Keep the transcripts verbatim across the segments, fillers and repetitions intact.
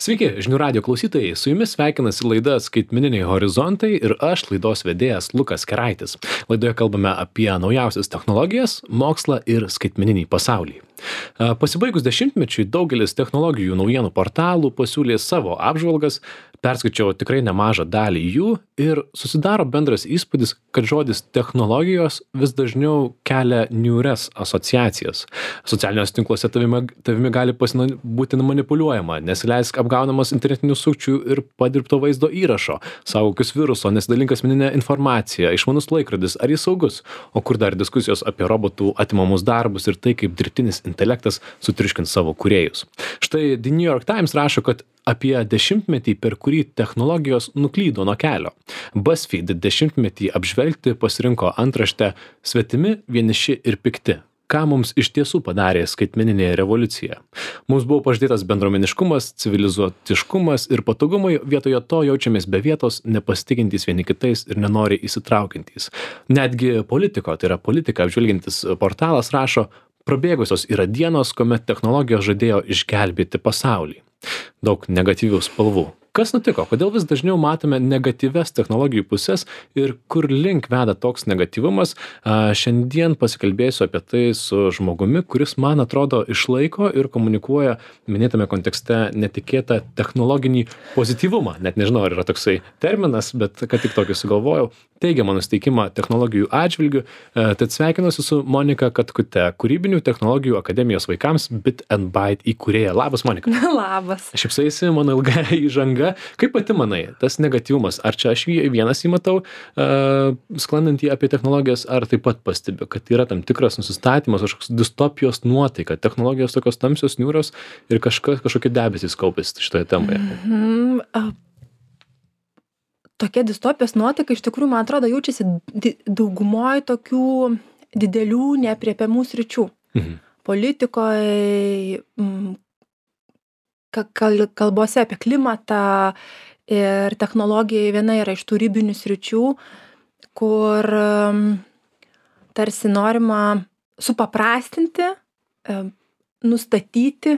Sveiki, žinių radio klausytojai, su jumis sveikinasi laida Skaitmeniniai horizontai ir aš, laidos vedėjas Lukas Keraitis. Laidoje kalbame apie naujausias technologijas, mokslą ir skaitmeninį pasaulį. Pasibaigus dešimtmečiui daugelis technologijų naujienų portalų pasiūlė savo apžvalgas, perskaičiau tikrai nemažą dalį jų ir susidaro bendras įspūdis, kad žodis technologijos vis dažniau kelia niūrias asociacijas. Socialiniuose tinkluose tavimi, tavimi gali pasina, būti manipuliuojama, nesileisk apgaunamas internetinių sukčių ir padirbto vaizdo įrašo, saugokis viruso, nesidalink asmeninę informaciją, išmanus laikrodis, ar jis saugus, o kur dar diskusijos apie robotų atimamus darbus ir tai, kaip dirbtinis intelektas sutriuškins savo kūrėjus. Štai The New York Times rašo, kad apie dešimtmetį, per kurį technologijos nuklydo nuo kelio. BuzzFeed dešimtmetį apžvelgti pasirinko antraštę Svetimi, vieniši ir pikti. Ką mums iš tiesų padarė skaitmeninė revoliucija? Mums buvo pažadėtas bendruomeniškumas, civilizuotiškumas ir patogumai, vietoje to jaučiamės be vietos, nepasitikintys vieni kitais ir nenori įsitraukiantys. Netgi politiko, tai yra politika apžvelgiantis portalas rašo, prabėgusios yra dienos, kuomet technologijos žadėjo išgelbėti pasaulį. Daug negatyvių spalvų. Kas nutiko? Kodėl vis dažniau matome negatyves technologijų pusės ir kur link veda toks negatyvumas? Šiandien pasikalbėsiu apie tai su žmogumi, kuris, man atrodo, išlaiko ir komunikuoja minėtame kontekste netikėtą technologinį pozityvumą. Net nežinau, ar yra toksai terminas, bet kad tik tokį sugalvojau. Teigiamą nusteikimą technologijų atžvilgių. Tad sveikinuosi su Monika Katkute, Kūrybinių technologijų akademijos vaikams Bit and Byte įkūrėja. Labas, Monika. Labas. Šypsaisi mano ilga įžanga. Kaip pati manai, tas negatyvumas, ar čia aš jį vienas įmatau, uh, sklandantį apie technologijas, ar taip pat pastebiu, kad yra tam tikras nusistatymas, kažkoks distopijos nuotaika, technologijos tokios tamsios, niūrios ir kažkas, kažkokie debesys kaupėsi šitoje temoje? Mm-hmm. Uh, tokia distopijos nuotaika iš tikrųjų, man atrodo, jaučiasi di- daugumoje tokių didelių neapriepiamų sričių. Mm-hmm. Politikoje, mm, kalbose apie klimatą ir technologija viena yra iš tų ribinių sričių, kur tarsi norima supaprastinti, nustatyti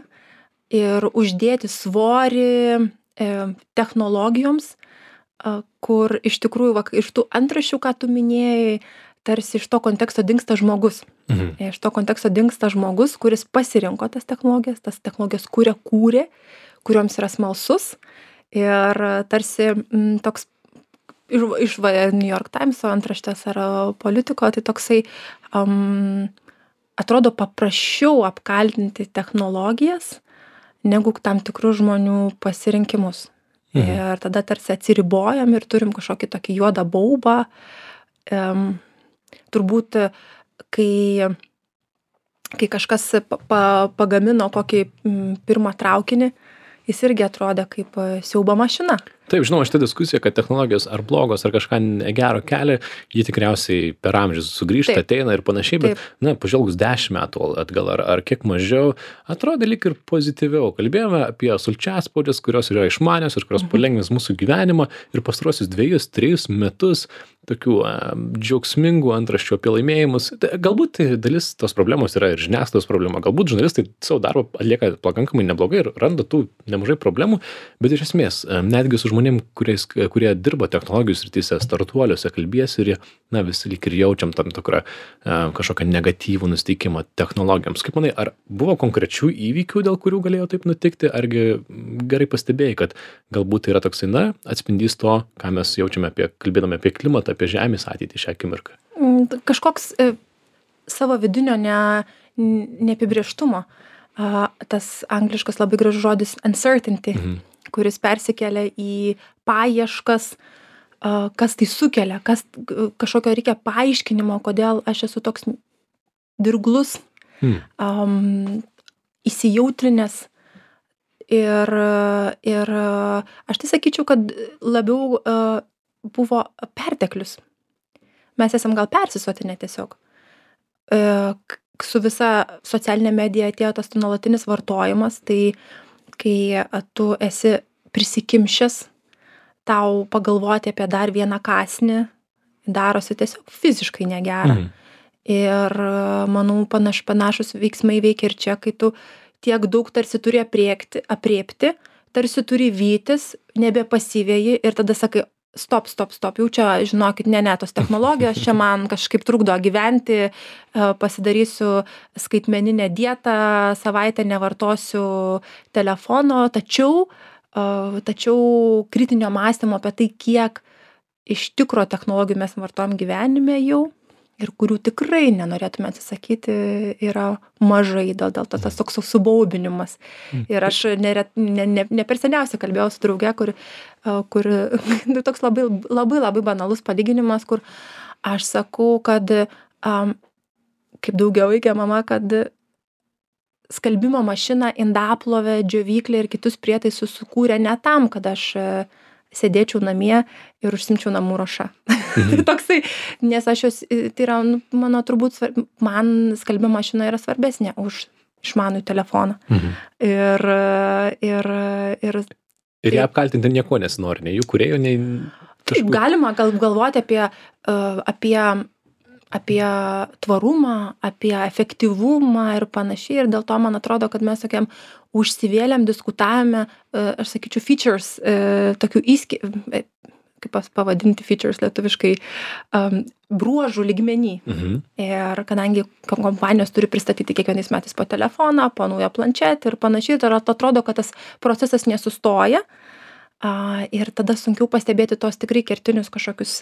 ir uždėti svorį technologijoms, kur iš tikrųjų iš tų antraščių, ką tu minėjai, tarsi iš to konteksto dingsta žmogus. Mhm. Iš to konteksto dingsta žmogus, kuris pasirinko tas technologijas, tas technologijas kūrė, kūrė, kurioms yra smalsus. Ir tarsi m, toks iš, iš New York Times antraštės ar politiko, tai toksai um, atrodo paprasčiau apkaltinti technologijas, negu tam tikrų žmonių pasirinkimus. Mhm. Ir tada tarsi atsiribojam ir turim kažkokį tokį juodą baubą. Um, Turbūt, kai, kai kažkas pa, pa, pagamino kokį m, pirmą traukinį, jis irgi atrodė kaip siaubo mašina. Taip, žinoma, šitą diskusiją, kad technologijos ar blogos, ar kažką negero kelia, jį tikriausiai per amžius sugrįžta, Taip. Ateina ir panašiai, bet, Taip. na, pažvelgus dešimt metų atgal ar, ar kiek mažiau, atrodė lyg ir pozityviau. Kalbėjome apie sulčiaspaudės, kurios yra išmanios ir kurios mhm. palengvins mūsų gyvenimą ir pastaruosius dviejus, trejus metus tokių a, džiaugsmingų antraščių apie laimėjimus. Galbūt tai dalis tos problemos yra ir žiniasklaidos problema, galbūt žurnalistai savo darbą atlieka pakankamai neblogai ir randa tų nemažai problemų, bet iš esmės netgi su žmonėm, kuriais, kurie dirba technologijų srityse, startuoliuose, kalbėsi ir jie, na, visi lyg ir jaučiam tam tikrą kažkokią negatyvų nusteikimą technologijoms. Kaip manai, ar buvo konkrečių įvykių, dėl kurių galėjo taip nutikti, argi gerai pastebėjai, kad galbūt tai yra toksai, na, atspindys to, ką mes jaučiame apie, kalbėdami apie klimatą, apie žemės ateitį šią akimirką? Kažkoks e, savo vidinio ne, neapibrėžtumo. A, tas angliškas labai gražus žodis uncertainty, mhm. kuris persikelia į paieškas, a, kas tai sukelia, kas, kažkokio reikia paaiškinimo, kodėl aš esu toks dirglus, mhm. um, įsijautrinęs. Ir, ir aš tai sakyčiau, kad labiau uh, buvo perteklius. Mes esam gal persisotinę tiesiog. Uh, su visa socialinė medija atėjo tas nuolatinis vartojimas, tai kai tu esi prisikimšęs, tau pagalvoti apie dar vieną kąsnį darosi tiesiog fiziškai negera. Mhm. Ir manau, panaš, panašus veiksmai veikia ir čia, kai tu tiek daug tarsi turi apriekti, apriepti, tarsi turi vytis, nebepasiveji ir tada sakai, stop, stop, stop, jau čia, žinokit, ne, ne, tos technologijos čia man kažkaip trukdo gyventi, pasidarysiu skaitmeninę dietą, savaitę nevartosiu telefono, tačiau, tačiau kritinio mąstymo apie tai, kiek iš tikro technologijų mes vartojam gyvenime jau ir kurių tikrai nenorėtume atsisakyti, yra mažai, dėl, dėl to tas toks subaubinimas. Ir aš neret, ne, ne, ne per seniausiai kalbėjau su drauge, kur, kur toks labai, labai, labai banalus palyginimas, kur aš sakau, kad um, kaip daugiavaikė mama, kad skalbimo mašiną, indaplovę, džiovyklę ir kitus prietaisus sukūrė ne tam, kad aš sėdėčiau namie ir užsimčiau namų ruoša. Mhm. Tai toksai, nes aš jos, tai yra, nu, mano turbūt, svarb, man skalbimo mašina yra svarbesnė už išmanų telefoną. Mhm. Ir, ir, ir, ir ją apkaltinti nieko nesinori, nei jų kūrėjo, nei kažkur. Taip, galima gal, galvoti apie, apie, apie tvarumą, apie efektyvumą ir panašiai. Ir dėl to man atrodo, kad mes tokiam užsivėlėm, diskutavome, aš sakyčiau, features, tokių įski, kaip pavadinti features lietuviškai, um, bruožų lygmenį. Mhm. Ir kadangi kompanijos turi pristatyti kiekvienais metais po telefoną, po naują planšetę ir panašiai, tai atrodo, kad tas procesas nesustoja uh, ir tada sunkiau pastebėti tos tikrai kertinius kažkokius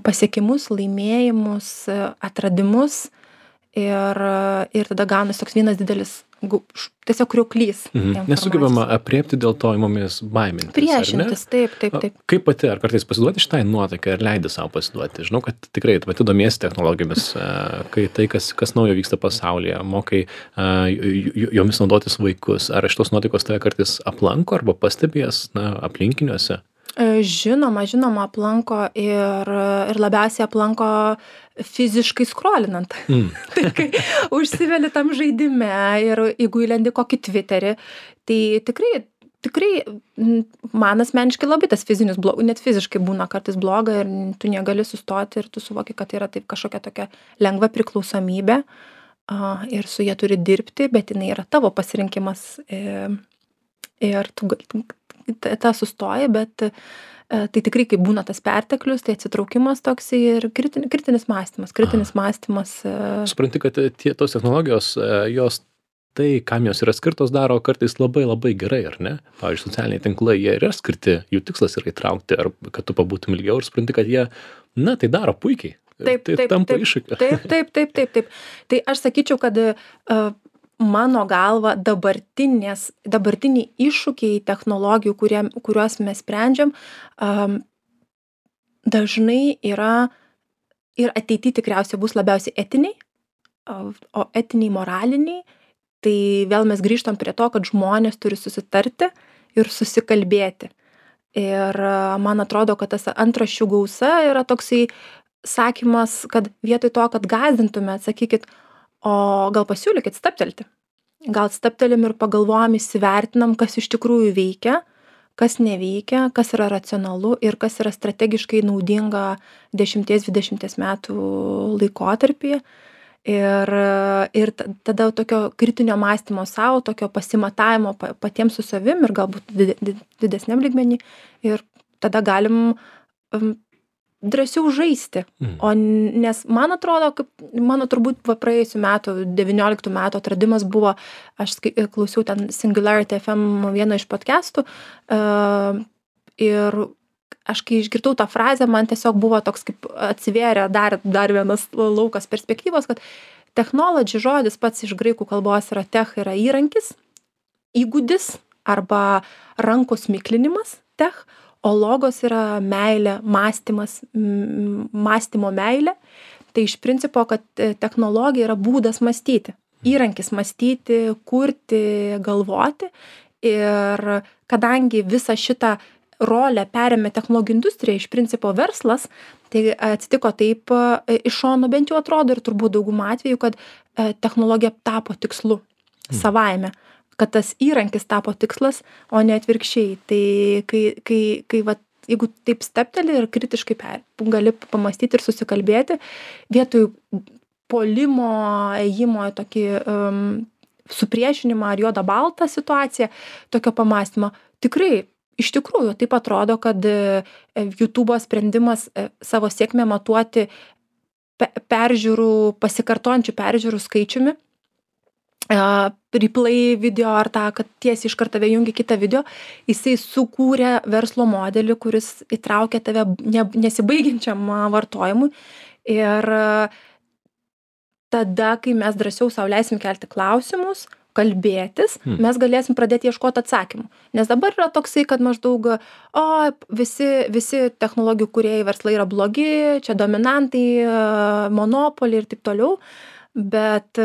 pasiekimus, laimėjimus, atradimus ir, ir tada gaunasi toks vienas didelis tiesiog kriuklys. Mhm. Nesugebama apriepti, dėl to įmomės baimintis. Priešintis, taip, taip, taip. Kaip pati, ar kartais pasiduoti šitai nuotaikai, ar leidi savo pasiduoti? Žinau, kad tikrai pati domiesi technologijomis, kai tai, kas, kas naujo vyksta pasaulyje, mokai jomis naudotis vaikus. Ar iš tos nuotaikos tave kartais aplanko arba pastebės na, aplinkiniuose? Žinoma, žinoma, aplanko ir, ir labiausiai aplanko fiziškai skrolinant. Mm. Tai kai užsiveli tam žaidime ir jeigu įlendi kokį Twitterį, tai tikrai, tikrai man asmeniškai labai tas fizinis blogas, net fiziškai būna kartais bloga ir tu negali sustoti ir tu suvoki, kad yra taip kažkokia tokia lengva priklausomybė uh, ir su jie turi dirbti, bet jinai yra tavo pasirinkimas ir, ir tu gali tą sustoja, bet tai tikrai, kai būna tas perteklius, tai atsitraukimas toks ir kritinis, kritinis mąstymas, kritinis Aha. mąstymas. Supranti, kad tie, tos technologijos, jos tai, kam jos yra skirtos, daro kartais labai labai gerai, ar ne? Pavyzdžiui, socialiniai tinklai, jie yra skirti, jų tikslas yra įtraukti, ar kad tu pabūtum ilgiau ir supranti, kad jie, na, tai daro puikiai. Taip, tai taip, tampa taip, iššūkiu. Taip, taip, taip, taip, taip. Tai aš sakyčiau, kad uh, mano galva dabartinės, dabartiniai iššūkiai technologijų, kurie, kuriuos mes sprendžiam, um, dažnai yra ir ateityje tikriausiai bus labiausiai etiniai, o etiniai moraliniai, tai vėl mes grįžtam prie to, kad žmonės turi susitarti ir susikalbėti. Ir man atrodo, kad tas antraščių gausa yra toksai sakymas, kad vietoj to, kad gąsdintume, atsakykit, o gal pasiūlykit stabtelti. Gal stabtelim ir pagalvojam, įsivertinam, kas iš tikrųjų veikia, kas neveikia, kas yra racionalu ir kas yra strategiškai naudinga dešimties dvidešimties metų laikotarpyje. Ir, ir tada tokio kritinio mąstymo savo, tokio pasimatavimo patiems su savim ir galbūt didesniam lygmenį. Ir tada galim um, drąsiau žaisti. Mm. O nes man atrodo, kaip mano turbūt praėjusių metų, devynioliktų metų atradimas buvo, aš klausiau ten Singularity F M vieną iš podcastų uh, ir aš kai išgirdau tą frazę, man tiesiog buvo toks kaip atsivėrė dar, dar vienas laukas perspektyvos, kad technology žodis pats iš graikų kalbos yra tech, yra įrankis, įgūdis arba rankos miklinimas tech, o logos yra meilė, mąstymas, mąstymo meilė. Tai iš principo, kad technologija yra būdas mąstyti, įrankis mąstyti, kurti, galvoti. Ir kadangi visą šitą rolę perėmė technologijų industrija, iš principo verslas, tai atsitiko taip iš šono bent jau atrodo ir turbūt daugumą atvejų, kad technologija tapo tikslu savaime. Kad tas įrankis tapo tikslas, o ne atvirkščiai. Tai kai, kai, kai va, jeigu taip stepteli ir kritiškai per, gali pamastyti ir susikalbėti, vietoj polimo, ėjimo į tokį um, supriešinimą ar juodą baltą situaciją, tokio pamastymo, tikrai, iš tikrųjų, taip atrodo, kad YouTube'o sprendimas savo sėkmę matuoti peržiūrų, pasikartojančių peržiūrų skaičiumi, replay video ar tą, kad tiesiai iš karto jungi kitą video, jisai sukūrė verslo modelį, kuris įtraukia tave nesibaigiančiam vartojimui. Ir tada, kai mes drąsiau sau leisim kelti klausimus, kalbėtis, hmm. mes galėsim pradėti ieškoti atsakymų. Nes dabar yra toksai, kad maždaug, o, visi, visi technologijų kūrėjai verslai yra blogi, čia dominantai, monopoliai ir taip toliau, bet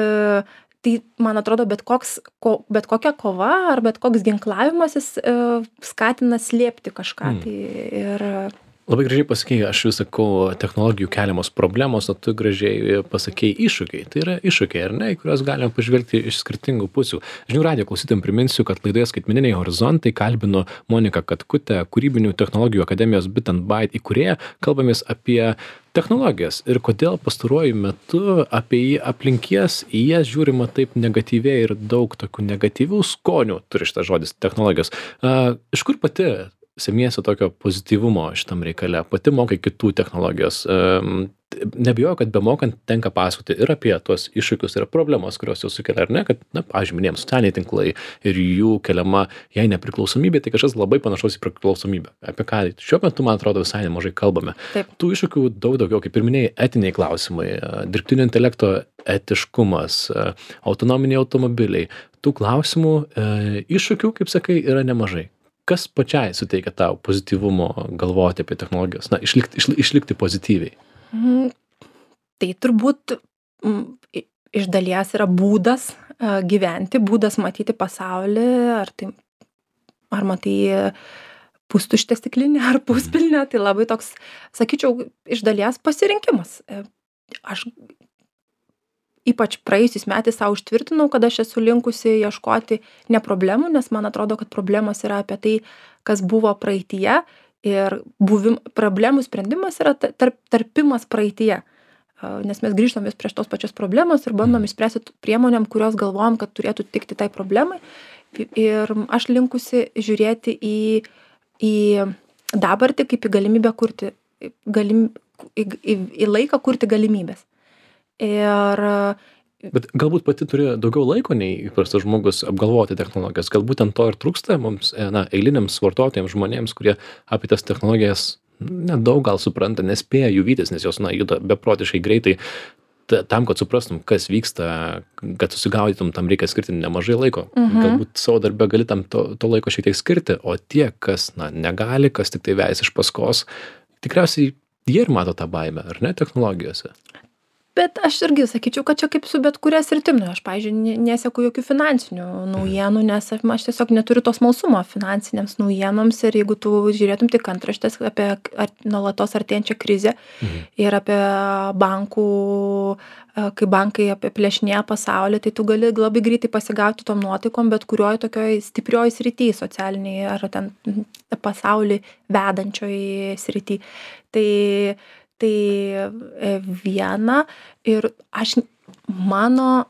tai, man atrodo, bet, koks, ko, bet kokia kova ar bet koks ginklavimasis e, skatina slėpti kažką. Mm. Tai ir... Labai gražiai pasakėjai, aš vis sakau, technologijų keliamos problemos, o tu gražiai pasakėjai iššūkiai. Tai yra iššūkiai, ar ne, į kuriuos galime pažvelgti iš skirtingų pusių. Žinių radijo klausytojams priminsiu, kad laidoje Skaitmeniniai horizontai kalbino Moniką Katkutę, Kūrybinių technologijų akademijos Bit and Byte įkūrėją. Kalbamės apie technologijas ir kodėl pastaruoju metu apie aplinkies į jas žiūrima taip negatyviai ir daug tokių negatyvių skonių turi šitas žodis technologijos. Uh, iš kur pati semiesi tokio pozityvumo šitam reikale, pati mokai kitų technologijos. Um, Nebijoju, kad bemokant tenka pasakoti ir apie tuos iššūkius ir problemas, kurios jau sukelia, ar ne, kad, na, pavyzdžiui, minėjom, socialiniai tinklai ir jų keliama, jei nepriklausomybė, tai kažkas labai panašaus į priklausomybę. Apie ką šiuo metu, man atrodo, visai nemažai kalbame. Taip. Tų iššūkių daug daugiau, kaip ir minėjai, etiniai klausimai, dirbtinio intelekto etiškumas, autonominiai automobiliai. Tų klausimų, iššūkių, kaip sakai, yra nemažai. Kas pačiai suteikia tau pozityvumo galvoti apie technologijas, na, išlikti, išli, išlikti pozityviai? Mm, tai turbūt mm, iš dalies yra būdas uh, gyventi, būdas matyti pasaulį, ar, tai, ar matai pustuštę stiklinę ar puspilnę, tai labai toks, sakyčiau, iš dalies pasirinkimas. Aš ypač praėjusiais metais savo užtvirtinau, kad aš esu linkusi ieškoti ne problemų, nes man atrodo, kad problemos yra apie tai, kas buvo praeityje. Ir buvim, problemų sprendimas yra tarp, tarpimas praeityje, nes mes grįžtam vis prieš tos pačios problemos ir bandom išspręsti priemonėm, kurios galvojam, kad turėtų tikti tai problemai. Ir aš linkusi žiūrėti į, į dabartį kaip į galimybę kurti, galim, į, į, į laiką kurti galimybės. Ir Bet galbūt pati turi daugiau laiko nei įprastas žmogus apgalvoti technologijas. Galbūt ten to ir trūksta mums, na, eiliniams vartotojams, žmonėms, kurie apie tas technologijas nedaug gal supranta, nespėja jų vytis, nes jos, na, juda beprotiškai greitai. Tam, kad suprastum, kas vyksta, kad susigaudytum, tam reikia skirti nemažai laiko. Mhm. Galbūt savo darbę gali tam to, to laiko šiek tiek skirti, o tie, kas, na, negali, kas tik tai vejas iš paskos, tikriausiai jie ir mato tą baimę, ar ne, technologijose? Bet aš irgi sakyčiau, kad čia kaip su bet kuria sritim. Nu, aš, pavyzdžiui, neseku jokių finansinių naujienų, nes aš, aš tiesiog neturiu to smalsumo finansinėms naujienoms ir jeigu tu žiūrėtum tik antraštės apie ar, nuolatos artėjančią krizę mhm. ir apie bankų, kai bankai apiplėšinėja pasaulį, tai tu gali labai greitai pasigauti tom nuotaikom, bet kurioj tokioj stiprioj srity, socialiniai ar ten pasaulį vedančioj srity. Tai Tai viena ir aš, mano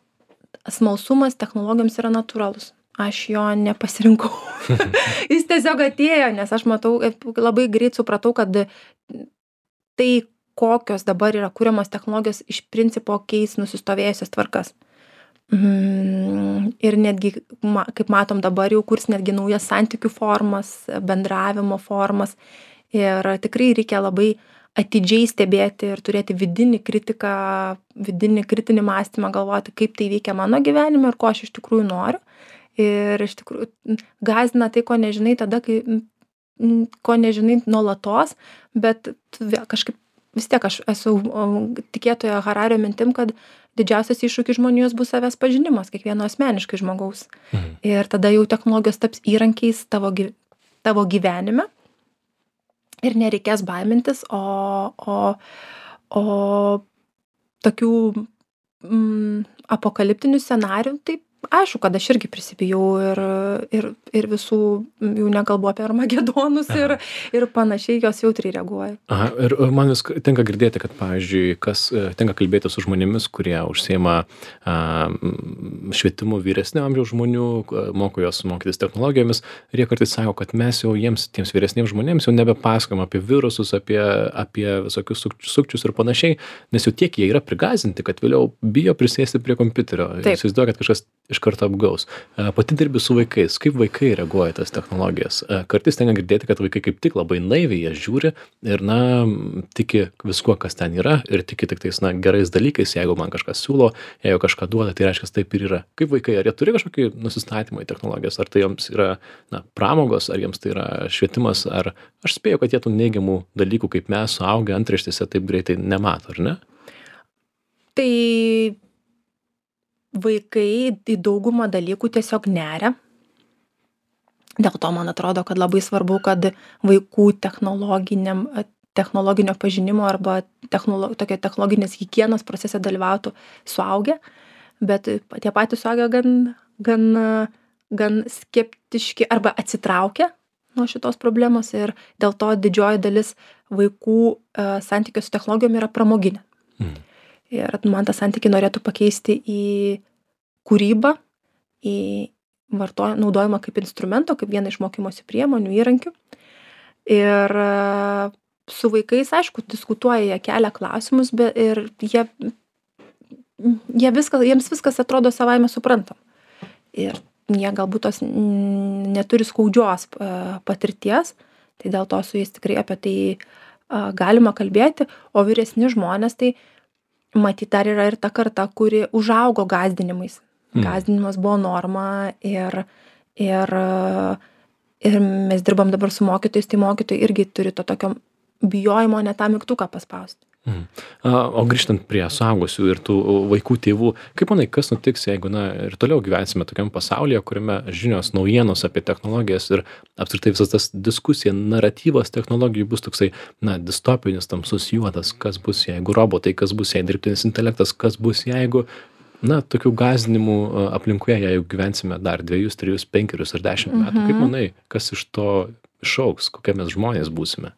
smalsumas technologijoms yra natūralus. Aš jo nepasirinkau. Jis tiesiog atėjo, nes aš matau, labai greit supratau, kad tai, kokios dabar yra kuriamos technologijos, iš principo keis nusistovėjusias tvarkas. Ir netgi, kaip matom dabar, jau kurs netgi naujas santykių formas, bendravimo formas. Ir tikrai reikia labai atidžiai stebėti ir turėti vidinį kritiką, vidinį kritinį mąstymą, galvoti, kaip tai veikia mano gyvenime ir ko aš iš tikrųjų noriu. Ir iš tikrųjų gąsdina tai, ko nežinai tada, kai, ko nežinai nuolatos, bet kažkaip vis tiek aš esu tikėtoja Harario mintim, kad didžiausias iššūkis žmonijos bus savęs pažinimas, kiekvieno asmeniškai žmogaus. Mhm. Ir tada jau technologijos taps įrankiais tavo, tavo gyvenime. Ir nereikės baimintis, o, o, o tokių mm, apokaliptinių scenarijų, tai aišku, kad aš irgi prisibijau ir, ir, ir visų, jau nekalbu apie armagedonus ir, ir panašiai, jos jautriai reaguoja. Aha, ir man vis tenka girdėti, kad, pavyzdžiui, kas tenka kalbėti su žmonėmis, kurie užsiima a, švietimu vyresnio amžiaus žmonių, moko juos mokytis technologijomis, ir jie kartais sako, kad mes jau jiems, tiems vyresniems žmonėms, jau nebepasakojam apie virusus, apie, apie visokius sukčius ir panašiai, nes jau tiek jie yra prigazinti, kad vėliau bijo prisėsti prie kompiuterio. Įsivaizduoja, kad kažkas iš karto apgaus. Pati dirbi su vaikais. Kaip vaikai reaguoja tas technologijas? Kartais tenka girdėti, kad vaikai kaip tik labai naiviai jas žiūri ir, na, tiki viskuo, kas ten yra, ir tiki tik tais, na, gerais dalykais. Jeigu man kažkas siūlo, jeigu kažką duoda, tai reiškia, taip ir yra. Kaip vaikai? Ar jie turi kažkokį nusistatymą į technologijas? Ar tai jiems yra, na, pramogos, ar jiems tai yra švietimas, ar aš spėju, kad jie tų neigiamų dalykų, kaip mes suaugę antraštėse, taip greitai nemato, ar ne? Tai vaikai į daugumą dalykų tiesiog neria. Dėl to man atrodo, kad labai svarbu, kad vaikų technologiniam, technologinio pažinimo arba technolo, tokia technologinės higienos procese dalyvautų suaugę, bet tie patys suaugę gan, gan, gan skeptiški arba atsitraukia nuo šitos problemos ir dėl to didžioji dalis vaikų uh, santykio su technologijom yra pramoginė. Mm. Ir man tą santykį norėtų pakeisti į kūrybą, į vartojimą, naudojimą kaip instrumento, kaip vieną iš mokymosi priemonių, įrankių. Ir su vaikais, aišku, diskutuoja, jie kelia klausimus, bet ir jie, jie viskas, jiems viskas atrodo savaime suprantam. Ir jie galbūt tos neturi skaudžios patirties, tai dėl to su jais tikrai apie tai galima kalbėti, o vyresni žmonės tai matyt, dar yra ir ta karta, kuri užaugo gąsdinimais. Mm. Gąsdinimas buvo norma ir, ir, ir mes dirbam dabar su mokytojais, tai mokytojai irgi turi to tokio bijojimo ne tą mygtuką paspausti. Mm. O grįžtant prie suaugusių ir tų vaikų tėvų, kaip manai, kas nutiks, jeigu, na, ir toliau gyvensime tokiam pasaulyje, kuriame žinios, naujienos apie technologijas ir apskritai visas tas diskusija, naratyvas technologijų bus toksai, na, distopinis, tamsus juodas, kas bus, jeigu robotai, kas bus, jei dirbtinis intelektas, kas bus, jeigu, na, tokių gąsdinimų aplinkoje, jeigu gyvensime dar dviejus, trijus, penkerius ar dešimt metų, mm-hmm. Kaip manai, kas iš to išaugs, kokie mes žmonės būsime?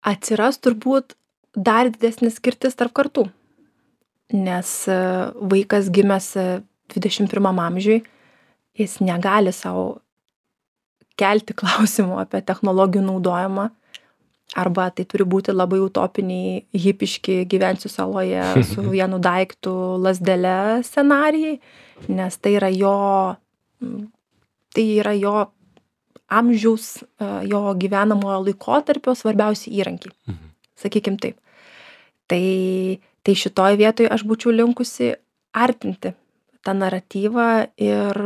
Atsiras turbūt dar didesnis skirtis tarp kartų, nes vaikas gimęs dvidešimt pirmam amžiui, jis negali savo kelti klausimų apie technologijų naudojimą, arba tai turi būti labai utopiniai, hipiški gyvensiu saloje su vienu daiktu lazdele scenarijai, nes tai yra jo, tai yra jo amžiaus, jo gyvenamojo laikotarpio svarbiausi įrankiai, mhm. Sakykim taip. Tai, tai šitoj vietoj aš būčiau linkusi artinti tą naratyvą ir,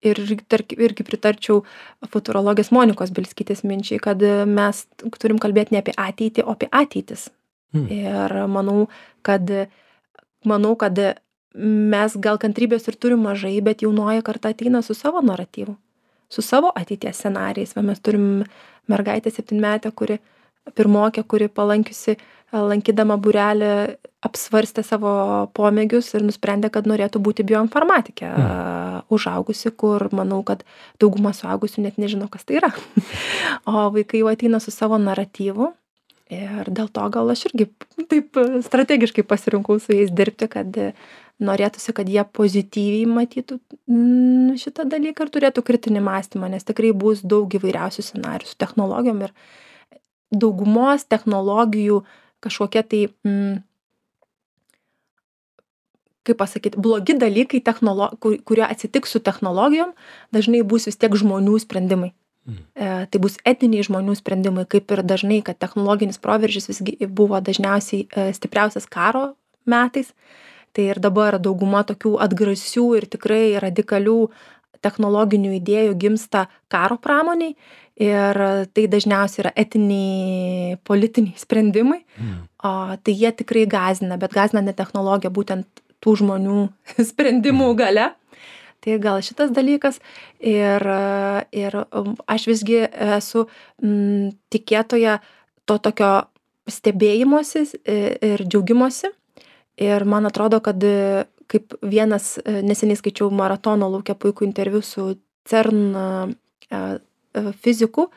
ir tarkim, irgi pritarčiau futurologės Monikos Bielskytės minčiai, kad mes turim kalbėti ne apie ateitį, o apie ateitis. Mhm. Ir manau, kad, manau, kad mes gal kantrybės ir turim mažai, bet jaunoji karta ateina su savo naratyvu. Su savo ateities scenarijais. Va, mes turim mergaitę septynmetę, kuri pirmokė, kuri palankiusi, lankydama būrelį, apsvarstė savo pomėgius ir nusprendė, kad norėtų būti bioinformatikė mm. užaugusi, kur manau, kad dauguma suaugusių net nežino, kas tai yra. O vaikai jau ateina su savo naratyvu ir dėl to gal aš irgi taip strategiškai pasirinkau su jais dirbti, kad norėtųsi, kad jie pozityviai matytų šitą dalyką ir turėtų kritinį mąstymą, nes tikrai bus daug įvairiausių scenarijų su technologijom ir daugumos technologijų kažkokie tai, mm, kaip pasakyti, blogi dalykai, technolo- kur, kurie atsitiks su technologijom, dažnai bus vis tiek žmonių sprendimai. Mm. E, tai bus etiniai žmonių sprendimai, kaip ir dažnai, kad technologinis proveržis visgi buvo dažniausiai e, stipriausias karo metais. Tai ir dabar dauguma tokių atgrasių ir tikrai radikalių technologinių idėjų gimsta karo pramoniai ir tai dažniausiai yra etiniai, politiniai sprendimai, mm. o tai jie tikrai gąsdina, bet gąsdina ne technologija, būtent tų žmonių sprendimų gale. Tai gal šitas dalykas ir, ir aš visgi esu m, tikėtoja to tokio stebėjimosi ir džiaugimosi. Ir man atrodo, kad kaip vienas neseniai skaičiau maratono lauke puikų interviu su CERN fiziku,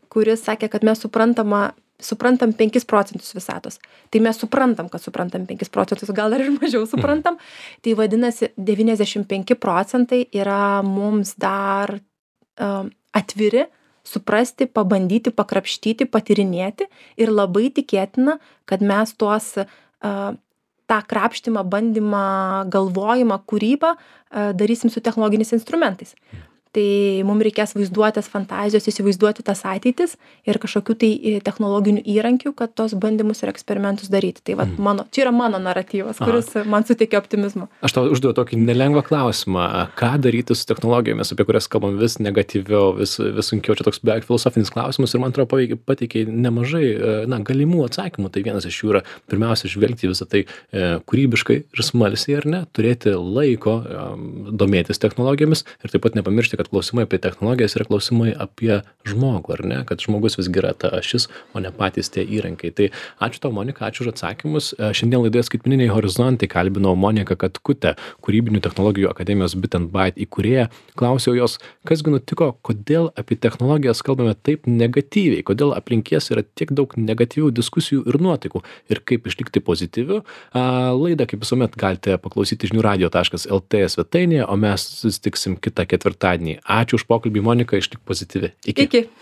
kuris sakė, kad mes suprantama, suprantam penkis procentus visatos. Tai mes suprantam, kad suprantam penkis procentus, gal dar ir mažiau suprantam. Tai vadinasi, devyniasdešimt penki procentai yra mums dar uh, atviri, suprasti, pabandyti, pakrapštyti, patyrinėti ir labai tikėtina, kad mes tuos uh, tą krapštimą, bandymą, galvojimą, kūrybą uh, darysim su technologiniais instrumentais. Tai mums reikės vaizduotės, fantazijos, įsivaizduoti tas ateitis ir kažkokių tai technologinių įrankių, kad tos bandymus ir eksperimentus daryti. Tai vat, mano, čia yra mano naratyvas, kuris Aha. man suteikia optimizmo. Aš tau užduodu tokį nelengvą klausimą. Ką daryti su technologijomis, apie kurias kalbam vis negatyviau, vis, vis sunkiau. Čia toks beveik filosofinis klausimas ir man atrodo pateikia nemažai na, galimų atsakymų. Tai vienas iš jų yra pirmiausia žvelgti visą tai e, kūrybiškai ir smalsiai, ar ne, turėti laiko e, domėtis technologijomis ir taip pat nepamiršti, kad klausimai apie technologijas yra klausimai apie žmogų, ar ne? Kad žmogus visgi yra ta ašis, o ne patys tie įrankiai. Tai ačiū tau, Monika, ačiū už atsakymus. Šiandien laidoje Skaitmeniniai horizontai kalbinau Moniką Katkutę, Kūrybinių technologijų akademijos Bit and Byte įkūrėją. Klausiau jos, kasgi nutiko, kodėl apie technologijas kalbame taip negatyviai, kodėl aplink jas yra tiek daug negatyvių diskusijų ir nuotaikų ir kaip išlikti pozityviu. Laidą, kaip visuomet, galite paklausyti žinių radio taškas el tė svetainėje, o mes susitiksim kitą ketvirtadienį. Ačiū už pokalbį, Monika, išlik pozityvi. Iki. Iki.